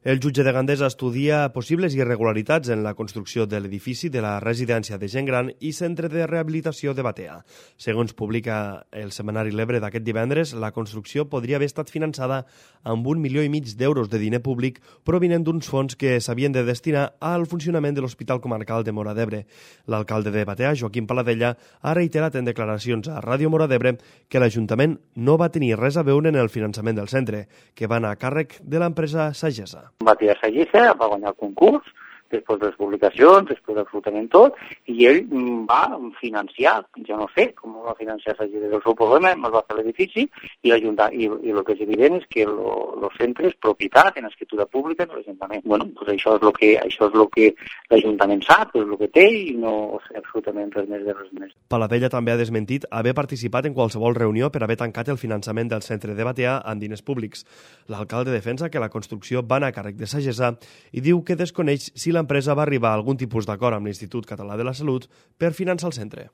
El jutge de Gandesa estudia possibles irregularitats en la construcció de l'edifici de la residència de gent gran i centre de rehabilitació de Batea. Segons publica el setmanari L'Ebre d'aquest divendres, la construcció podria haver estat finançada amb 1,5 milions d'euros de diner públic provinent d'uns fons que s'havien de destinar al funcionament de l'Hospital Comarcal de Móra d'Ebre. L'alcalde de Batea, Joaquim Paladella, ha reiterat en declaracions a Ràdio Móra d'Ebre que l'Ajuntament no va tenir res a veure en el finançament del centre, que va anar a càrrec de l'empresa Sagessa. Batea Sagessa va guanyar el concurs, després de les publicacions, després d'absolutament tot, i ell va financiar, jo no sé com va financiar Sagessa, el seu problema, es va fer l'edifici, i el que és evident és que el centre és propietat en escriptura pública de l'Ajuntament. Bueno, pues això és el que l'Ajuntament sap, és el que té, i no sé absolutament res més de res més. Paladella també ha desmentit haver participat en qualsevol reunió per haver tancat el finançament del centre de Batea amb diners públics. L'alcalde defensa que la construcció va anar a càrrec de Sagessa i diu que desconeix si l'empresa va arribar a algun tipus d'acord amb l'Institut Català de la Salut per finançar el centre.